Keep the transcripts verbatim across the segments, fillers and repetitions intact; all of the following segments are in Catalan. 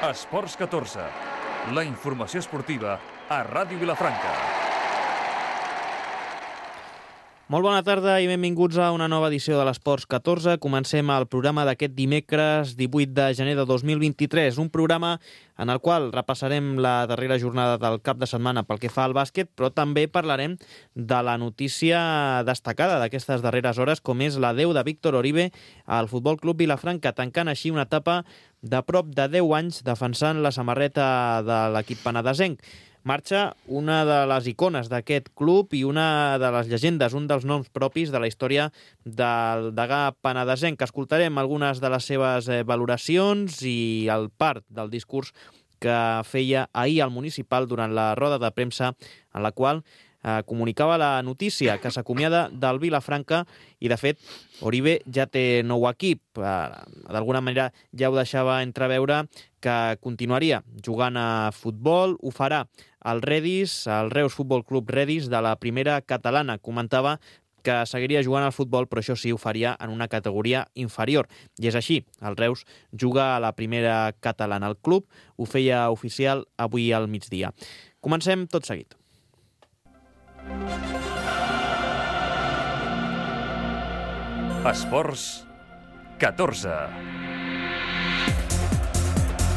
Esports catorze, la informació esportiva a Ràdio Vilafranca. Molt bona tarda i benvinguts a una nova edició de l'Esports catorze. Comencem el programa d'aquest dimecres divuit de gener de dos mil vint-i-tres, un programa en el qual repassarem la darrera jornada del cap de setmana pel que fa al bàsquet, però també parlarem de la notícia destacada d'aquestes darreres hores, com és l'adeu de Víctor Oribe al Futbol Club Vilafranca, tancant així una etapa de prop de deu anys defensant la samarreta de l'equip penedesenc. Marxa una de les icones d'aquest club i una de les llegendes, un dels noms propis de la història del degà penedesenc. Escoltarem algunes de les seves valoracions i el part del discurs que feia ahir al municipal durant la roda de premsa en la qual eh, comunicava la notícia que s'acomiada del Vilafranca i, de fet, Oribe ja té nou equip. Eh, D'alguna manera ja ho deixava entreveure que continuaria jugant a futbol. Ho farà al Redis, al Reus Futbol Club Redis de la primera catalana. Comentava que seguiria jugant al futbol, però això sí, ho faria en una categoria inferior. I és així, el Reus juga a la primera catalana. El club ho feia oficial avui al migdia. Comencem tot seguit. Esports catorze.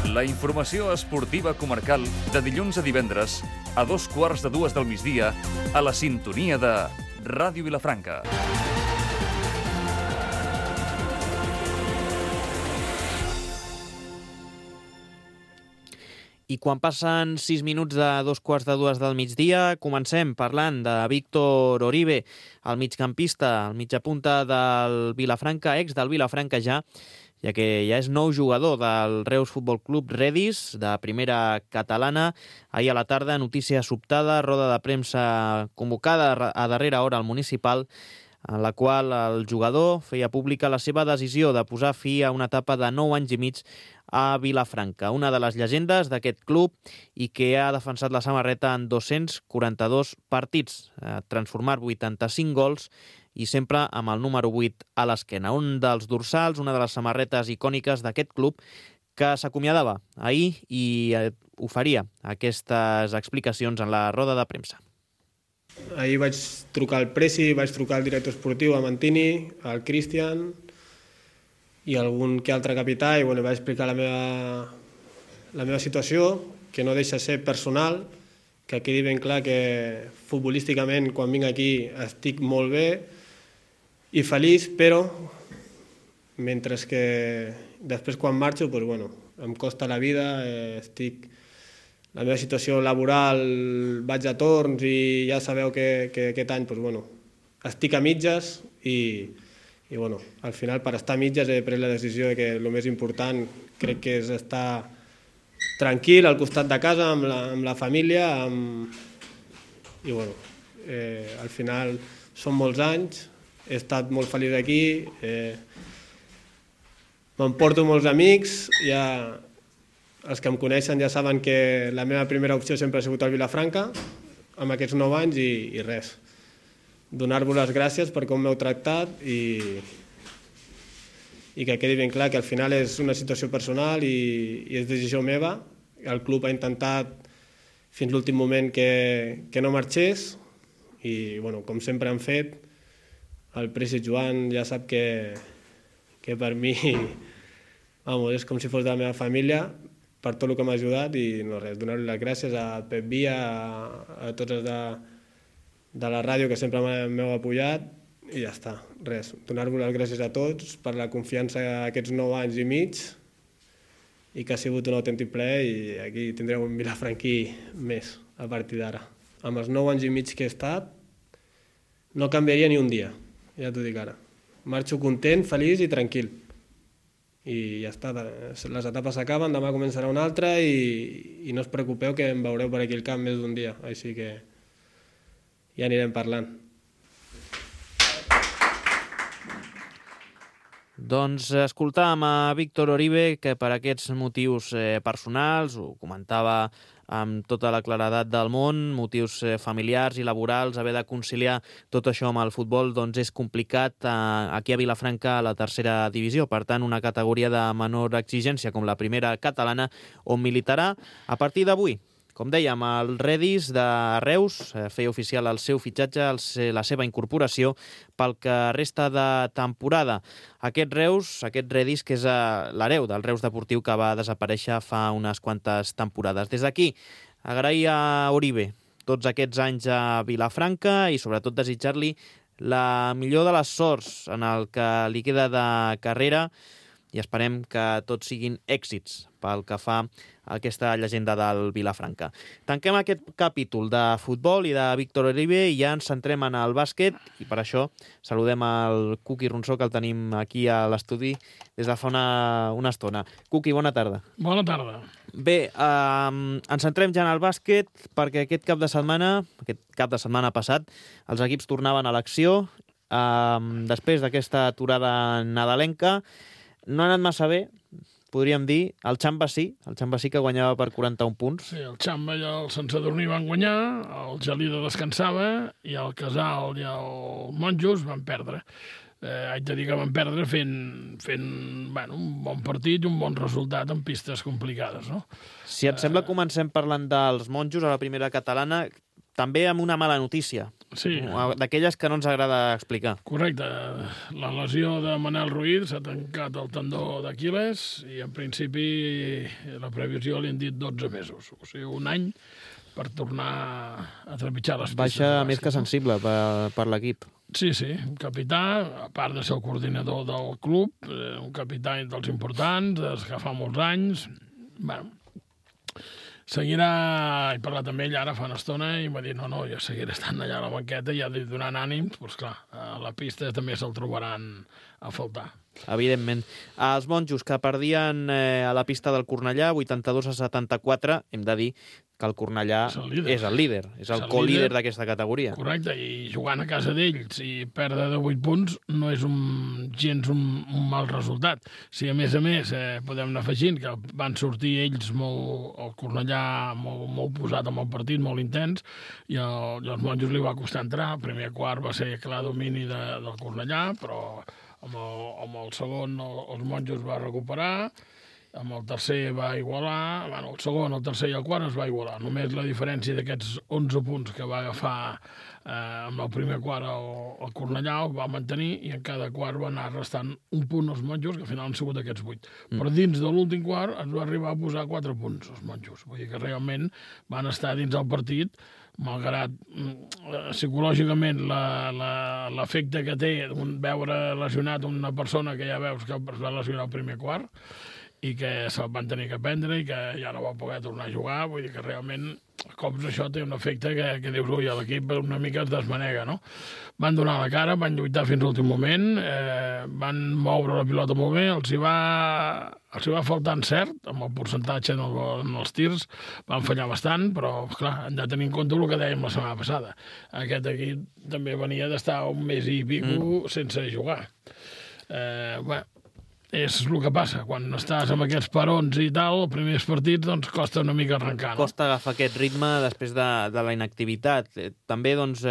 La informació esportiva comarcal de dilluns a divendres a dos quarts de dues del migdia a la sintonia de Ràdio Vilafranca. I quan passen sis minuts de dos quarts de dues del migdia, comencem parlant de Víctor Oribe, el migcampista, el mitjapunta del Vilafranca, ex del Vilafranca ja, ja que ja és nou jugador del Reus Futbol Club Redis, de primera catalana. Ahir a la tarda, notícia sobtada, roda de premsa convocada a darrera hora al municipal, en la qual el jugador feia pública la seva decisió de posar fi a una etapa de nou anys i mig a Vilafranca, una de les llegendes d'aquest club i que ha defensat la samarreta en dos-cents quaranta-dos partits, ha transformat vuitanta-cinc gols i sempre amb el número vuit a l'esquena. Un dels dorsals, una de les samarretes icòniques d'aquest club que s'acomiadava ahir i oferia aquestes explicacions en la roda de premsa. Ahir vaig trucar al Presi, vaig trucar al director esportiu, a Mantini, al Cristian i algun que altre capità, i bueno, vaig explicar la meva, la meva situació, que no deixa ser personal, que quedi ben clar que futbolísticament quan vinc aquí estic molt bé i feliç, però mentre que després quan marxo pues, bueno, em costa la vida, eh, estic... La meva situació laboral, vaig a torns i ja sabeu que, que aquest any pues, bueno, estic a mitges i, i bueno, al final per estar a mitges he pres la decisió de que el més important crec que és estar tranquil al costat de casa amb la, amb la família amb... i bueno, eh, al final són molts anys, he estat molt feliç aquí, eh, m'emporto molts amics, ja... Els que em coneixen ja saben que la meva primera opció sempre ha sigut el Vilafranca, amb aquests nou anys i, i res. Donar-vos les gràcies per com m'heu tractat i, i que quedi ben clar que al final és una situació personal i, i és decisió meva. El club ha intentat fins l'últim moment que, que no marxés i, bueno, com sempre han fet, el Presi Joan ja sap que, que per mi vamos, és com si fos de la meva família, per tot el que m'ha ajudat i no res, donar-li les gràcies a Pep Via, a, a tots els de, de la ràdio que sempre m'heu apoyat i ja està, res, donar-vos les gràcies a tots per la confiança aquests nou anys i mig i que ha sigut un autèntic plaer i aquí tindreu un vilafranquí més a partir d'ara. Amb els nou anys i mig que he estat no canviaria ni un dia, ja t'ho dic ara. Marxo content, feliç i tranquil. I ja està, les etapes s'acaben, demà començarà una altra i, i no us preocupeu que em veureu per aquí al camp més d'un dia, així que ja anirem parlant. Doncs escoltàvem a Víctor Oribe, que per aquests motius eh, personals, ho comentava amb tota la claredat del món, motius familiars i laborals, haver de conciliar tot això amb el futbol doncs és complicat aquí a Vilafranca a la tercera divisió. Per tant, una categoria de menor exigència com la primera catalana, on militarà a partir d'avui. Com dèiem, el Redis de Reus feia oficial el seu fitxatge, la seva incorporació pel que resta de temporada. Aquest Reus, aquest Redis, que és l'hereu del Reus Deportiu que va desaparèixer fa unes quantes temporades. Des d'aquí, agrair a Oribe tots aquests anys a Vilafranca i sobretot desitjar-li la millor de les sorts en el que li queda de carrera i esperem que tots siguin èxits pel que fa a aquesta llegenda del Vilafranca. Tanquem aquest capítol de futbol i de Víctor Oribe i ja ens centrem en el bàsquet i per això saludem el Cuqui Ronsó, que el tenim aquí a l'estudi des de fa una, una estona. Cuqui, bona tarda. Bona tarda. Bé, eh, ens centrem ja en el bàsquet perquè aquest cap de setmana, aquest cap de setmana passat, els equips tornaven a l'acció eh, després d'aquesta aturada nadalenca. No ha anat massa bé, podríem dir. El Xamba sí, el Xamba sí que guanyava per quaranta-un punts. Sí, el Xamba i el Sant Sadurní van guanyar, el Gelida descansava i el Casal i el Monjos van perdre. Eh, haig de dir que van perdre fent, fent bueno, un bon partit i un bon resultat en pistes complicades, no? Si et sembla, comencem parlant dels Monjos a la primera catalana, també amb una mala notícia, sí, d'aquelles que no ens agrada explicar. Correcte. La lesió de Manel Ruiz s'ha tancat el tendó d'Aquiles i en principi la previsió li han dit dotze mesos, o sigui, un any per tornar a trepitjar les pistes. Baixa més que sensible per, per l'equip. Sí, sí, un capità, a part de ser el coordinador del club, un capità dels importants, des que fa molts anys. Bueno, seguirà, he parlat amb ell ara fa una estona i m'ha dit no, no, jo seguiré estant allà a la banqueta i ja donant ànims, doncs clar, a la pista també se'l trobaran a faltar. Evidentment. Els Monjos, que perdien eh, a la pista del Cornellà, vuitanta-dos a setanta-quatre, hem de dir que el Cornellà és el líder, és el, líder, és el, el co-líder d'aquesta categoria. Correcte, i jugant a casa d'ells i perdre de vuit punts no és un, gens un, un mal resultat. Si a més a més eh, podem anar afegint que van sortir ells molt, el Cornellà molt, molt posat amb el partit, molt intens, i, el, i els Monjos li va costar entrar. El primer quart va ser clar domini de, del Cornellà, però amb el, amb el segon el, els Monjos va recuperar, amb el tercer va igualar, bueno, el segon, el tercer i el quart es va igualar. Només la diferència d'aquests onze punts que va agafar eh, amb el primer quart el, el Cornellà el va mantenir i en cada quart va anar restant un punt als Monjos, que al final han sigut aquests vuit. Mm. Però dins de l'últim quart es va arribar a posar quatre punts als Monjos. Vull dir que realment van estar dins del partit, malgrat psicològicament l'efecte que té veure lesionat una persona que ja veus que es va lesionar al primer quart i que se'l van tenir que prendre i que ja no va poder tornar a jugar. Vull dir que realment cops això té un efecte que, que dius, ui, l'equip una mica es desmanega, no? Van donar la cara, van lluitar fins a l'últim moment, eh, van moure la pilota molt bé, els hi va, els hi va faltar encert, amb el percentatge en, el, en els tirs, van fallar bastant, però, clar, hem de tenir en compte el que dèiem la setmana passada. Aquest equip també venia d'estar un mes i pico mm. sense jugar. Eh, bé, és el que passa, quan estàs amb aquests parons i tal, els primers partits, doncs costa una mica arrencar, no? Costa agafar aquest ritme després de, de la inactivitat. També, doncs,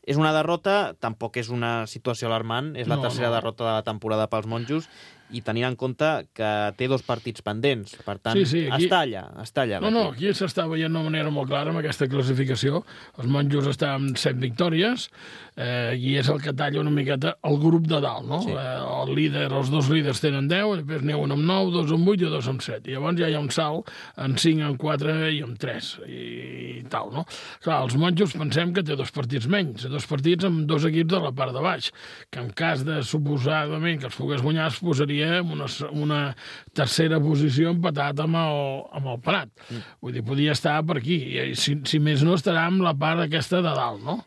és una derrota, tampoc és una situació alarmant, és la no, tercera no. derrota de la temporada pels Monjos, i tenint en compte que té dos partits pendents. Per tant, sí, sí, aquí... està allà, està allà. No, no, aquí s'està veient d'una manera molt clara amb aquesta classificació. Els Monjos estan amb set victòries eh, i és el que talla una miqueta el grup de dalt, no? Sí. Eh, el líder, els dos líders tenen deu, després n'hi ha un amb nou, dos amb vuit i dos amb set. I llavors ja hi ha un salt en cinc, en quatre i en tres i, i tal, no? Clar, els Monjos pensem que té dos partits menys, dos partits amb dos equips de la part de baix, que en cas de suposadament que els pogués guanyar es posaria en una, una tercera posició empatat amb el, amb el Prat. Mm. Vull dir, podia estar per aquí. I si, si més no, estarà amb la part aquesta de dalt, no?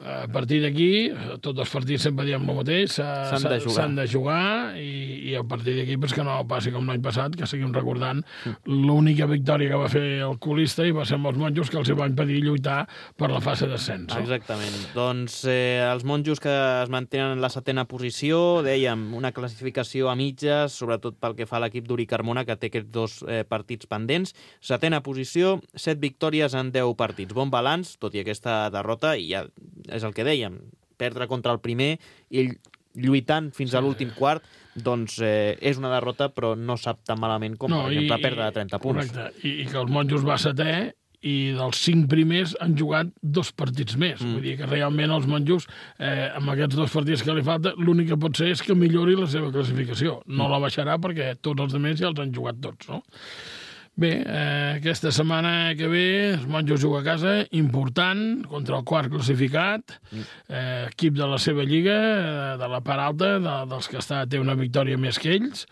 A partir d'aquí, tots els partits sempre diem el mateix, s'han de jugar, de jugar i, i i a partir d'aquí pues, que no passi com l'any passat, que seguim recordant l'única victòria que va fer el colista i va ser amb els monjos que els hi va impedir lluitar per la fase d'ascens. No? Exactament. Doncs eh, els monjos que es mantenen en la setena posició, dèiem, una classificació a mitges, sobretot pel que fa a l'equip d'Uri Carmona, que té aquests dos eh, partits pendents. Setena posició, set victòries en deu partits. Bon balanç, tot i aquesta derrota, i ja és el que dèiem, perdre contra el primer i lluitant fins sí. a l'últim quart, doncs eh, és una derrota, però no sap tan malament com, no, per exemple, i, perdre de trenta punts. Correcte, I, i que els monjos va setè, i dels cinc primers han jugat dos partits més. Mm. Vull dir que realment els monjos, eh, amb aquests dos partits que li falta, l'únic que pot ser és que millori la seva classificació. No mm. la baixarà perquè tots els altres ja els han jugat tots, no? Bé, eh, aquesta setmana que ve els monjos juga a casa, important, contra el quart classificat, eh, equip de la seva lliga, eh, de la part alta, de, dels que està, té una victòria més que ells,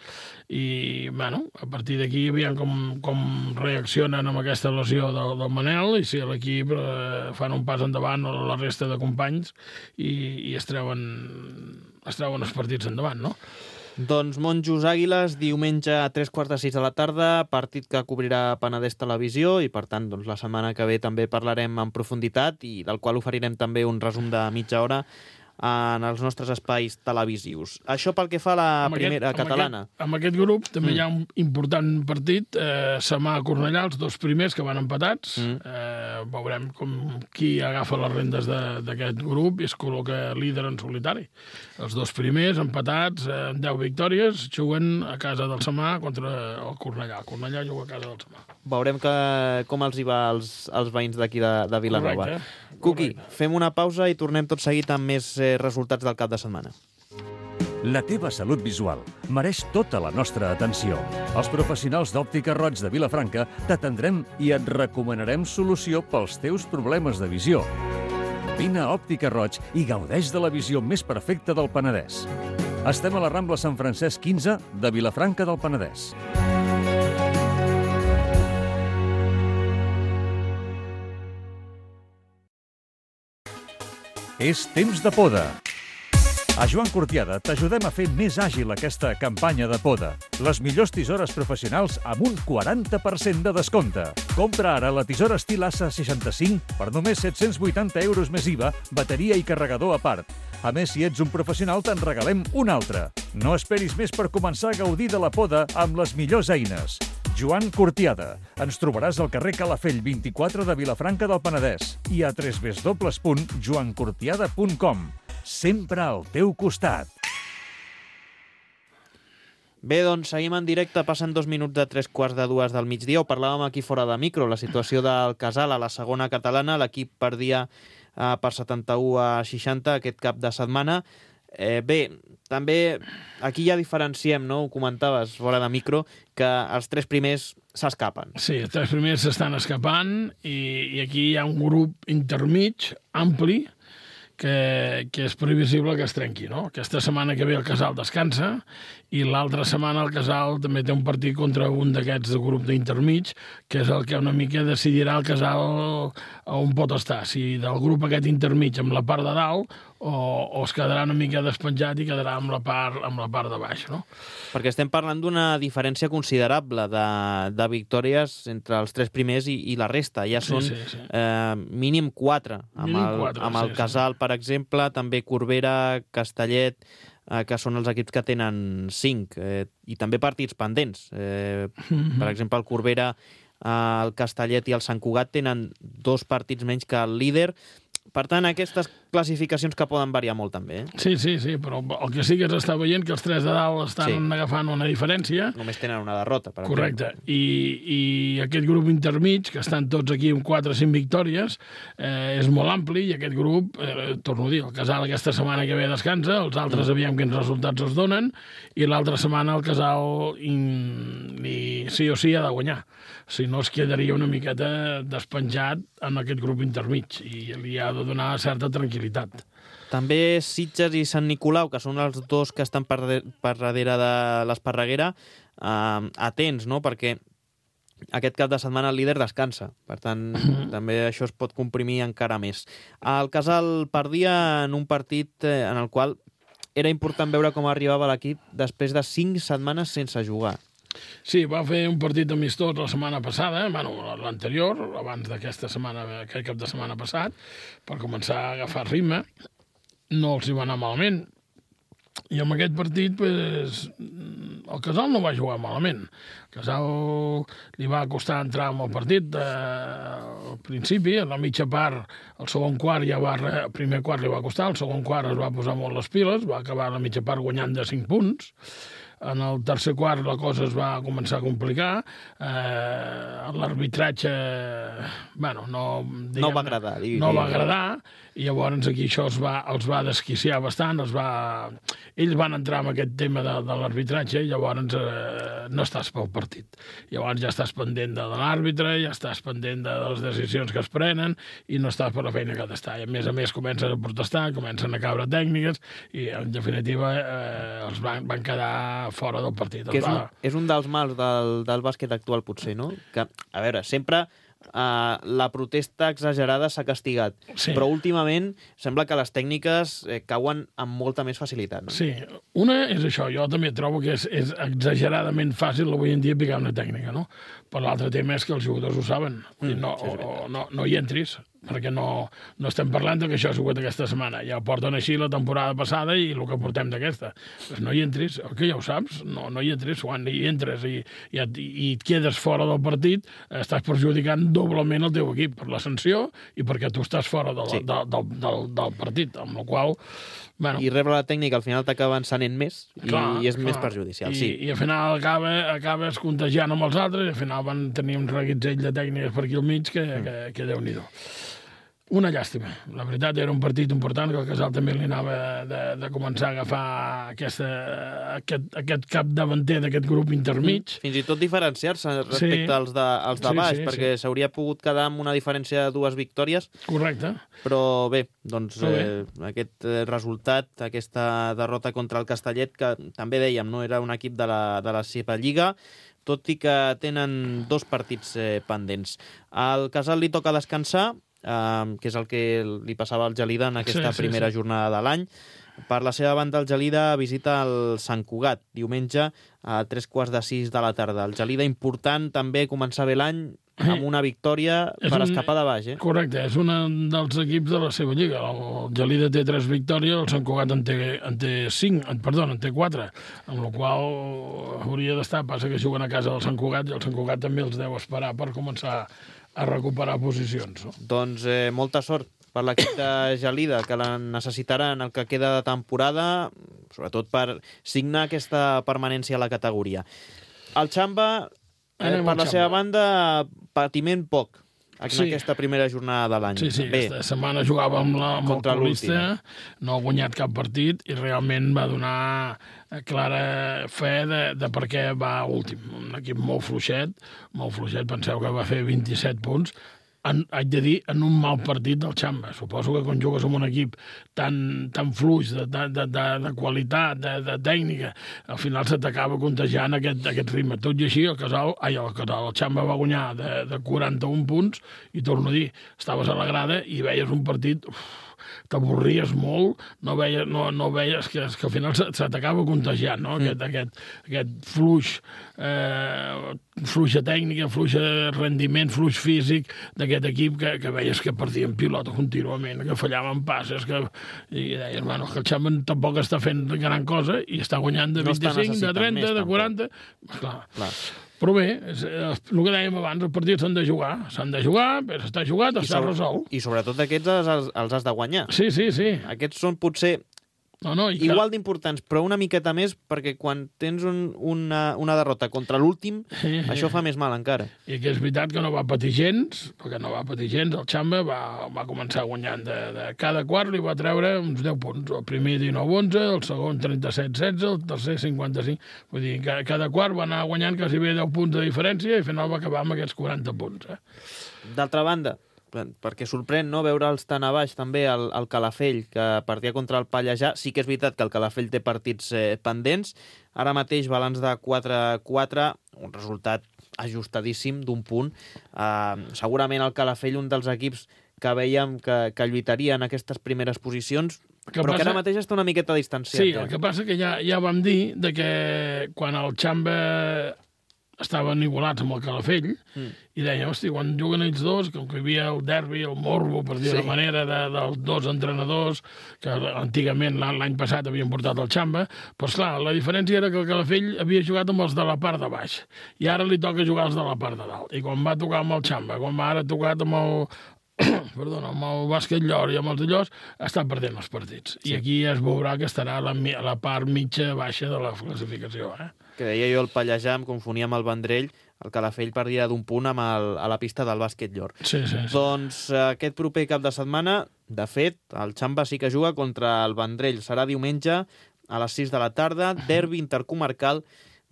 i, bueno, a partir d'aquí aviam com, com reaccionen amb aquesta lesió del, del Manel, i si l'equip eh, fan un pas endavant a la resta de companys i, i es treuen, es treuen els partits endavant, no? Doncs Monjos Àguiles, diumenge a tres quarts de sis de la tarda, partit que cobrirà Penedès Televisió i, per tant, doncs, la setmana que ve també parlarem en profunditat i del qual oferirem també un resum de mitja hora en els nostres espais televisius. Això pel que fa a la amb primera aquest, catalana. Amb aquest, amb aquest grup també mm. hi ha un important partit, eh, Samà-Cornellà, els dos primers que van empatats. Mm. Eh, veurem com qui agafa les rendes d'aquest grup i es col·loca líder en solitari. Els dos primers empatats, eh, amb deu victòries, juguen a casa del Samà contra el Cornellà. El Cornellà juga a casa del Samà. Veurem que, com els hi va als, als veïns d'aquí de, de Vilanova. Correcte. Cuqui, fem una pausa i tornem tot seguit amb més eh, resultats del cap de setmana. La teva salut visual mereix tota la nostra atenció. Els professionals d'Òptica Roig de Vilafranca t'atendrem i et recomanarem solució pels teus problemes de visió. Vine a Òptica Roig i gaudeix de la visió més perfecta del Penedès. Estem a la Rambla Sant Francesc quinze de Vilafranca del Penedès. És temps de poda. A Joan Cortiada t'ajudem a fer més àgil aquesta campanya de poda. Les millors tisores professionals amb un quaranta per cent de descompte. Compra ara la tisora estil A S A seixanta-cinc per només set-cents vuitanta euros més I V A, bateria i carregador a part. A més, si ets un professional, te'n regalem una altra. No esperis més per començar a gaudir de la poda amb les millors eines. Joan Cortiada. Ens trobaràs al carrer Calafell vint-i-quatre de Vilafranca del Penedès i a w w w punt joan cortiada punt com. Sempre al teu costat. Bé, doncs seguim en directe, passen dos minuts de tres quarts de dues del migdia. Ho parlàvem aquí fora de micro, la situació del Casal a la segona catalana. L'equip perdia eh, per setanta-u a seixanta aquest cap de setmana. Eh, bé, també aquí ja diferenciem, no? Ho comentaves fora de micro, que els tres primers s'escapen. Sí, els tres primers s'estan escapant i, i aquí hi ha un grup intermig, ampli, que, que és previsible que es trenqui, no? Aquesta setmana que ve el Casal descansa i l'altra setmana el Casal també té un partit contra un d'aquests de grup d'intermig, que és el que una mica decidirà el Casal on pot estar, si del grup aquest intermig amb la part de dalt o, o es quedarà una mica despenjat i quedarà amb la part, amb la part de baix, no? Perquè estem parlant d'una diferència considerable de, de victòries entre els tres primers i, i la resta. Ja són sí, sí, sí. Eh, mínim quatre. Amb mínim el, quatre, amb el sí, Casal, sí. per exemple, també Corbera, Castellet, eh, que són els equips que tenen cinc. Eh, I també partits pendents. Eh, mm-hmm. Per exemple, el Corbera, eh, el Castellet i el Sant Cugat tenen dos partits menys que el líder. Per tant, aquestes classificacions que poden variar molt també. Eh? Sí, sí, sí, però el que sí que s'està veient que els tres de dalt estan sí. agafant una diferència. Només tenen una derrota, per Correcte. I, I aquest grup intermig, que estan tots aquí amb quatre o cinc victòries, eh, és molt ampli i aquest grup, eh, torno a dir, el Casal aquesta setmana que ve descansa, els altres mm. aviam quins resultats es donen, i l'altra setmana el Casal in, i sí o sí ha de guanyar. Si no es quedaria una miqueta despenjat en aquest grup intermig i li ha de donar certa tranquil·litat. També Sitges i Sant Nicolau, que són els dos que estan per, de, per darrere de l'Esparreguera, eh, atents, no? Perquè aquest cap de setmana el líder descansa. Per tant, mm-hmm. també això es pot comprimir encara més. El Casal perdia en un partit en el qual era important veure com arribava l'equip després de cinc setmanes sense jugar. Sí, va fer un partit amistós la setmana passada, bueno, l'anterior, abans d'aquesta setmana, aquest cap de setmana passat, per començar a agafar ritme. No els hi va anar malament. I amb aquest partit, pues, el Casal no va jugar malament. El Casal li va costar entrar en el partit eh, al principi, a la mitja part, el segon quart ja va... El primer quart li va costar, el segon quart es va posar molt les piles, va acabar a la mitja part guanyant de cinc punts. En el tercer quart la cosa es va començar a complicar. Eh, L'arbitratge, bueno, no... No va agradar. No va agradar, i llavors aquí això els va, els va desquiciar bastant, els va... Ells van entrar en aquest tema de, de l'arbitratge i llavors eh, no estàs pel partit. Llavors ja estàs pendent de l'àrbitre, ja estàs pendent de les decisions que es prenen i no estàs per la feina que ha d'estar. I a més a més comencen a protestar, comencen a caure tècniques i en definitiva eh, els van, van quedar fora del partit. Que és, va... un, és un dels mals del, del bàsquet actual, potser, no? Que, a veure, sempre uh, la protesta exagerada s'ha castigat, sí. Però últimament sembla que les tècniques eh, cauen amb molta més facilitat. No? Sí, una és això, jo també trobo que és, és exageradament fàcil avui en dia picar una tècnica, no? Però l'altre tema és que els jugadors ho saben, mm, i no, sí, o, no, no hi entris, perquè no, no estem parlant que això ha sigut aquesta setmana. Ja porten així la temporada passada i el que portem d'aquesta. Pues no hi entris, que ja ho saps, no, no hi entris. Quan hi entres i, i, et, i et quedes fora del partit, estàs perjudicant doblement el teu equip per la sanció i perquè tu estàs fora del, sí. del, del, del, del partit, amb la qual... Bueno, i rebre la tècnica al final t'acaba encenent més i, clar, i és clar. Més perjudicial. I, sí. I al final acaba, acabes contagiant amb els altres i al final van tenir un reguitzell de tècniques per aquí al mig que, mm. que, que Déu-n'hi-do. Una llàstima. La veritat, era un partit important que el Casal també li anava de, de començar a agafar aquesta, aquest, aquest cap davanter d'aquest grup intermig. Fins i tot diferenciar-se respecte sí. als, de, als de baix, sí, sí, perquè s'hauria sí. pogut quedar amb una diferència de dues victòries. Correcte. Però bé, doncs bé. Eh, aquest resultat, aquesta derrota contra el Castellet, que també dèiem, no era un equip de la, de la seva lliga, tot i que tenen dos partits eh, pendents. Al Casal li toca descansar, Uh, que és el que li passava al Gelida en aquesta sí, sí, primera sí. jornada de l'any. Per la seva banda, el Gelida visita el Sant Cugat diumenge a tres quarts de sis de la tarda. El Gelida important també començar bé l'any amb una victòria és per un... escapar de baix. Eh? Correcte, és un dels equips de la seva lliga. El Gelida té tres victòries, el Sant Cugat en té, en té cinc, perdó, en té quatre, amb la qual hauria d'estar, passa que juguen a casa del Sant Cugat i el Sant Cugat també els deu esperar per començar a recuperar posicions. No? Doncs eh, molta sort per l'equip de Gelida, que la necessitarà en el que queda de temporada, sobretot per signar aquesta permanència a la categoria. El Xamba, eh, per la seva banda, patiment poc en sí. aquesta primera jornada de l'any. Sí, sí, Bé, aquesta setmana jugava amb, la, amb el Paulista, no ha guanyat cap partit i realment va donar clara fe de, de per què va últim. Un equip molt fluixet, molt fluixet, penseu que va fer vint-i-set punts, en, haig de dir, en un mal partit del Xamba. Suposo que quan jugues amb un equip tan, tan fluix, de, de, de, de qualitat, de, de tècnica, al final se t'acaba contagiant aquest, aquest ritme. Tot i així, el Casal, ai, el Casal, el Xamba va guanyar de, de quaranta-un punts, i torno a dir, estaves a la grada i veies un partit... Uf, t'avorries molt, no veies, no, no veies que, que al final se, se t'acaba contagiant, no? Aquest, mm. aquest, aquest fluix, eh, fluixa tècnica, fluix rendiment, fluix físic d'aquest equip que, que veies que perdien pilota contínuament, que fallaven passes, que, i deies, bueno, que el Xamba tampoc està fent gran cosa i està guanyant de vint-i-cinc, de trenta, més, de quaranta... Clar, clar. Però bé, és, el que dèiem abans, els partits s'han de jugar. S'han de jugar, però està jugat, està resolt. I sobretot aquests els, els has de guanyar. Sí, sí, sí. Aquests són potser no, no, i igual que... d'importants, però una miqueta més, perquè quan tens un, una, una derrota contra l'últim, sí, això sí. fa més mal encara. I que és veritat que no va patir gens, perquè no va patir gens, el Xamba va, va començar guanyant de, de cada quart, li va treure uns deu punts. El primer dinou onze, el segon trenta-set setze, el tercer cinquanta-cinc. Vull dir, que cada quart va anar guanyant quasi bé deu punts de diferència i al final va acabar amb aquests quaranta punts. Eh? D'altra banda, perquè sorprèn no veure'ls tan a baix també el, el Calafell, que partia contra el Pallejà. Sí que és veritat que el Calafell té partits eh, pendents. Ara mateix balanç de quatre a quatre, un resultat ajustadíssim d'un punt. Uh, segurament el Calafell, un dels equips que veiem que, que lluitaria en aquestes primeres posicions, Que Però passa... que ara mateix està una miqueta distanciat. Sí, ja. el que passa que ja, ja vam dir de que quan el Xamba estaven igualats amb el Calafell, mm. i dèiem, hosti, quan juguen ells dos, com que hi havia el derbi, el morbo, per dir sí. la manera, de, dels dos entrenadors, que antigament l'any passat havien portat el Xamba, doncs clar, la diferència era que el Calafell havia jugat amb els de la part de baix, i ara li toca jugar els de la part de dalt. I quan va tocar amb el Xamba, quan va ara tocat amb el... perdona, amb el bàsquet Llor i amb els de Llors, està perdent els partits. Sí. I aquí es veurà que estarà a la, a la part mitja-baixa de la classificació. Eh? Que deia jo el Pallejà, em confonia amb el Vendrell, el Calafell perdia d'un punt amb el, a la pista del bàsquet Llor. Sí, sí, sí. Doncs aquest proper cap de setmana, de fet, el Xamba sí que juga contra el Vendrell. Serà diumenge a les sis de la tarda, derbi intercomarcal.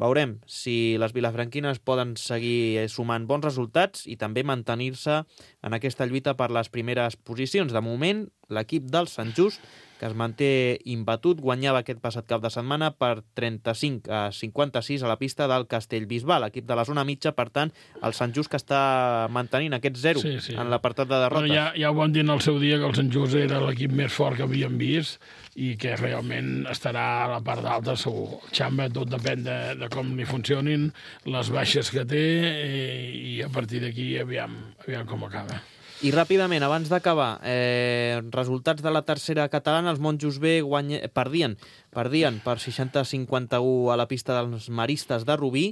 Veurem si les vilafranquines poden seguir sumant bons resultats i també mantenir-se en aquesta lluita per les primeres posicions. De moment, l'equip del Sant Just, que es manté imbatut, guanyava aquest passat cap de setmana per trenta-cinc a cinquanta-sis a la pista del Castellbisbal, l'equip de la zona mitja. Per tant, el Sant Just que està mantenint aquest zero sí, sí. en l'apartat de derrotes. Bueno, ja, ja ho van dir en el seu dia que el Sant Just era l'equip més fort que havíem vist i que realment estarà a la part d'alta segur. El Xamba tot depèn de, de com li funcionin les baixes que té i, i a partir d'aquí aviam, aviam com acaba. I ràpidament, abans d'acabar, eh, resultats de la tercera catalana, els Monjos B guany... perdien, perdien per seixanta a cinquanta-u a la pista dels Maristes de Rubí.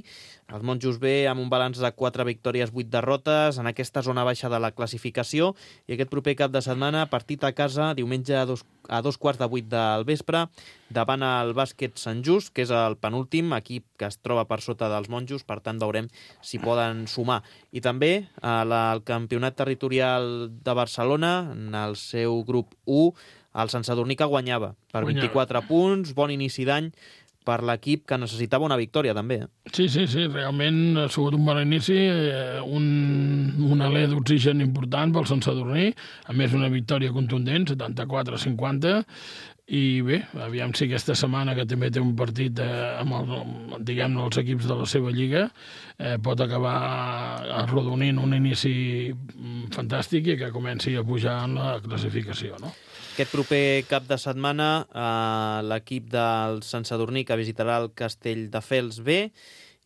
Els Monjos B amb un balanç de quatre victòries, vuit derrotes, en aquesta zona baixa de la classificació. I aquest proper cap de setmana, partit a casa, diumenge a dos, a dos quarts de vuit del vespre, davant el bàsquet Sant Just, que és el penúltim equip que es troba per sota dels Monjos, per tant veurem si poden sumar. I també el campionat territorial de Barcelona, en el seu grup u, el Sant Sadurní que guanyava per vint-i-quatre punts, bon inici d'any per l'equip que necessitava una victòria també. Eh? Sí, sí, sí, realment ha sigut un bon inici, un, un alè d'oxigen important pel Sant Sadurní, a més una victòria contundent, setanta-quatre a cinquanta, i bé, aviam si aquesta setmana, que també té un partit eh, amb, el, diguem els equips de la seva lliga, eh, pot acabar arrodonint un inici fantàstic i que comenci a pujar en la classificació, no? Aquest proper cap de setmana eh, l'equip del Sant Sadurní que visitarà el Castelldefels B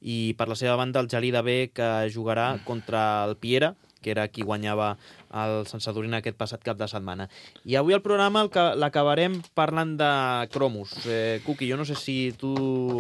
i per la seva banda el Gelida B que jugarà contra el Piera, que era qui guanyava el Sant Sadurní aquest passat cap de setmana. I avui el programa l'acabarem parlant de cromos. Eh, Cuqui, jo no sé si tu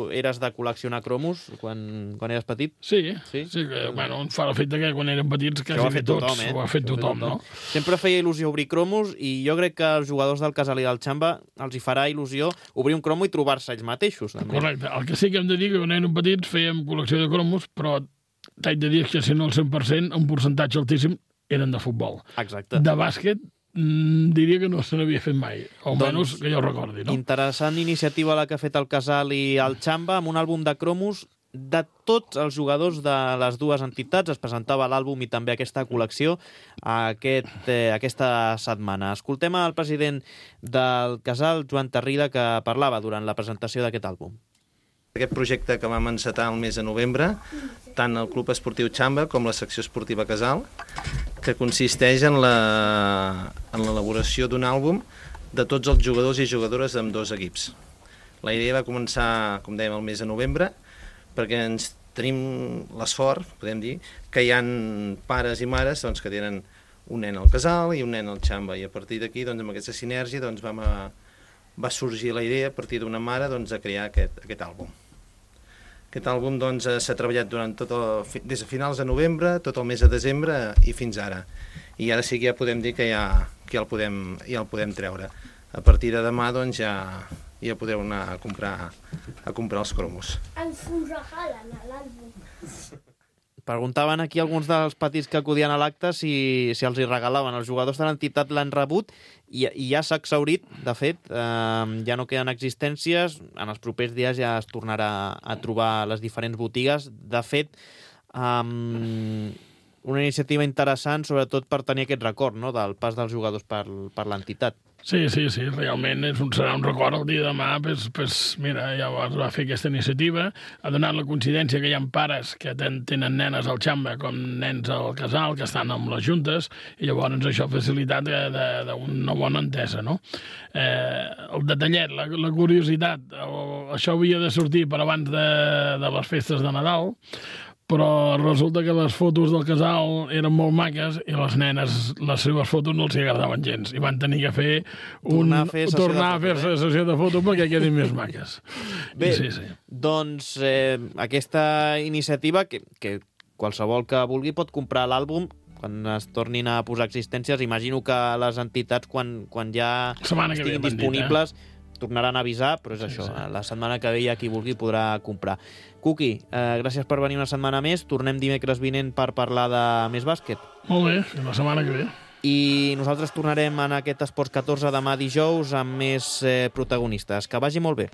eres de col·leccionar cromos quan, quan eres petit. Sí, sí, sí que, bueno, fa l'efecte que quan érem petits quasi ho ha fet tots, tothom, eh? ho ha fet tothom, no? Sempre feia il·lusió obrir cromos i jo crec que als jugadors del Casal i del Xamba els hi farà il·lusió obrir un cromo i trobar-se ells mateixos. També. Correcte. El que sí que hem de dir que quan érem petits fèiem col·lecció de cromos, però t'haig de dir que si no el cent per cent, un percentatge altíssim eren de futbol. Exacte. De bàsquet, mmm, diria que no se n'havia fet mai, o almenys doncs, que jo recordi, no? Interessant iniciativa la que ha fet el Casal i el Xamba amb un àlbum de cromos de tots els jugadors de les dues entitats. Es presentava l'àlbum i també aquesta col·lecció aquest, eh, aquesta setmana. Escoltem el president del Casal, Joan Tarrida, que parlava durant la presentació d'aquest àlbum. Aquest projecte que vam encetar el mes de novembre, tant el Club Esportiu Xamba com la secció esportiva Casal, que consisteix en la, en l'elaboració d'un àlbum de tots els jugadors i jugadores d'ambdós dos equips. La idea va començar, com dèiem, el mes de novembre, perquè ens tenim l'esforç, podem dir, que hi ha pares i mares doncs, que tenen un nen al Casal i un nen al Xamba, i a partir d'aquí, doncs, amb aquesta sinergia, doncs, vam a, va sorgir la idea a partir d'una mare doncs, de crear aquest, aquest àlbum. Aquest àlbum doncs, s'ha treballat durant tot el, des de finals de novembre, tot el mes de desembre i fins ara. I ara sí que ja podem dir que ja, que ja, el, podem, ja el podem treure. A partir de demà doncs, ja, ja podeu anar a comprar, a comprar els cromos. Ens ho regalen a l'àlbum. Preguntaven aquí alguns dels petits que acudien a l'acte si, si els hi regalaven. Els jugadors de l'entitat l'han rebut i, i ja s'ha exhaurit. De fet, eh, ja no queden existències. En els propers dies ja es tornarà a trobar les diferents botigues. De fet, eh, una iniciativa interessant, sobretot per tenir aquest record, no?, del pas dels jugadors per, per l'entitat. Sí, sí, sí, realment és un, serà un record el dia de demà, pues, pues, mira, llavors va fer aquesta iniciativa, ha donat la coincidència que hi ha pares que ten, tenen nenes al Xamba com nens al casal, que estan amb les juntes, i llavors això ha facilitat d'una bona entesa, no? Eh, el detallet, la, la curiositat, el, això havia de sortir per abans de, de les festes de Nadal, però resulta que les fotos del casal eren molt maques i les nenes, les seves fotos no els agradaven gens i van tenir que fer un, tornar a fer sessió, tornar de, a fer fotos, eh? sessió de fotos perquè quedin més maques. Bé, sí, sí. doncs eh, aquesta iniciativa, que, que qualsevol que vulgui pot comprar l'àlbum quan es tornin a posar existències. Imagino que les entitats, quan, quan ja Setmana estiguin que ve, disponibles, dit, eh? tornaran a avisar, però és sí, això, sí. La setmana que ve ja qui vulgui podrà comprar. Cuqui, eh, gràcies per venir una setmana més. Tornem dimecres vinent per parlar de més bàsquet. Molt bé, fins la setmana que ve. I nosaltres tornarem en aquest Esports catorze demà dijous amb més eh, protagonistes. Que vagi molt bé.